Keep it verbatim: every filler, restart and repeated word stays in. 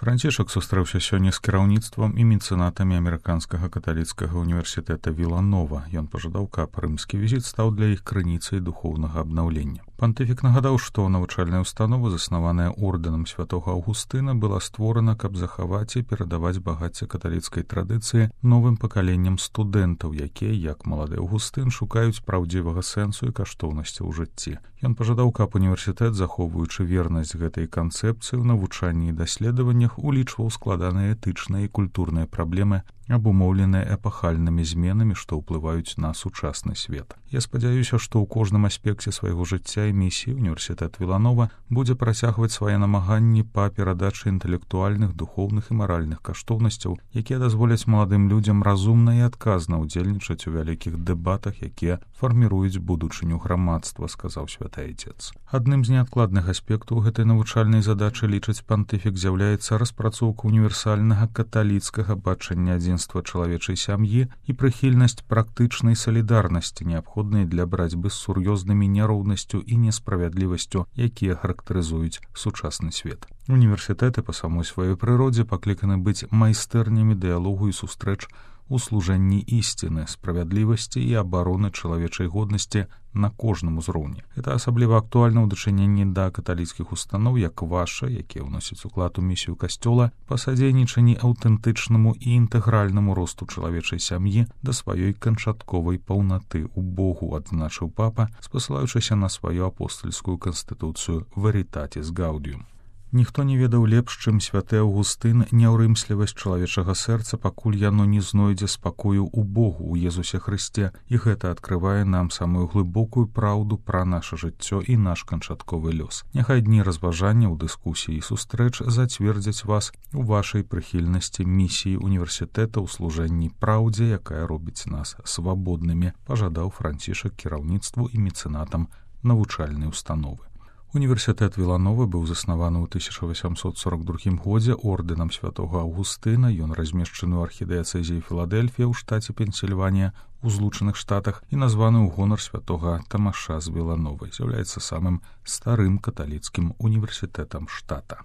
Францішак сустрэўся сёння з кіраўніцтвам і мецэнатамі амерыканскага каталіцкага універсітэта Віланова. Ён пажадаў, каб рымскі візіт стаў для іх крыніцай духоўнага абнаўлення. Пантыфік нагадаў, што навучальная установа, заснаваная ордэнам святога Аўгустына, была створана, каб захаваць і перадаваць багацце каталіцкай традыцыі новым пакаленням студэнтаў, якія, як малады Аўгустын, шукаюць праўдзівага сэнсу і каштоўнасці ў жыцці. Ён пажадаў, каб універсітэт, захоўваючы вернасць гэтай канцэпцыі ў навучанні і даследаваннях, улічваў складаныя этычныя і культурныя праблемы, абумоўленыя эпахальнымі зменамі, што ўплываюць на сучасны свет. Я спадзяюся, што ў кожным аспекце свайго жыцця і місіі універсітэт Віланова будзе працягваць свае намаганні па перадачы інтэлектуальных, духоўных і маральных каштоўнасцяў, якія дазволяць маладым людзям разумна і адказна ўдзельнічаць у вялікіх дэбатах, якія фарміруюць будучыню грамадства, сказаў святы айцец. Адным з неадкладных аспектаў гэтай навучальнай задачы, лічыць пантыфік, з'яўляецца распрацоўка універсальнага каталіцкага бачання адзінства чалавечай сям'і і прыхільнасць практычнай салідарнасці, неабходнай для барацьбы з сур'ёзнымі няроўнасцю і несправядлівасцю, якія характарызуюць сучасны свет. Універсітэты па самой сваёй прыродзе пакліканы быць майстэрнямі дыялогу і сустрэч у служэнні ісціны, справядлівасці і абароны чалавечай годнасці на кожным узроўні. Это асабліва актуальна ў дачыненні да каталіцкіх устаноў, як ваша, якія ўносяць уклад у місію касцёла па садзейнічанні аўтэнтычнаму і інтэгральнаму росту чалавечай сям'і да сваёй канчатковай паўнаты ў Богу, адзначыў папа, спасылаючыся на сваю апостальскую канстытуцыю Veritatis Gaudium. Ніхто не ведаў лепш, чым святы Аўгустын, няўрымслівасць чалавечага сэрца, пакуль яно не знойдзе спакою ў Богу, у Езусе Хрысце, і гэта адкрывае нам самую глыбокую праўду пра наша жыццё і наш канчатковы лёс. Няхай дні разважання ў дыскусіі і сустрэч зацвердзяць вас у вашай прыхільнасці місіі універсітэта ў служэнні праўдзе, якая робіць нас свабоднымі, пажадаў Францішак кіраўніцтву і мецэнатам навучальнай установы. Універсітэт Віланова быў заснаваны ў тысяча васямсот сорок другім годзе ордэнам святога Аўгустына. Ён размешчаны ў архідыяцэзіі Філадэльфія ў штаце Пенсільванія у Злучаных Штатах і названы ў гонар святога Тамаша з Вілановай. З'яўляецца самым старым каталіцкім універсітэтам штата.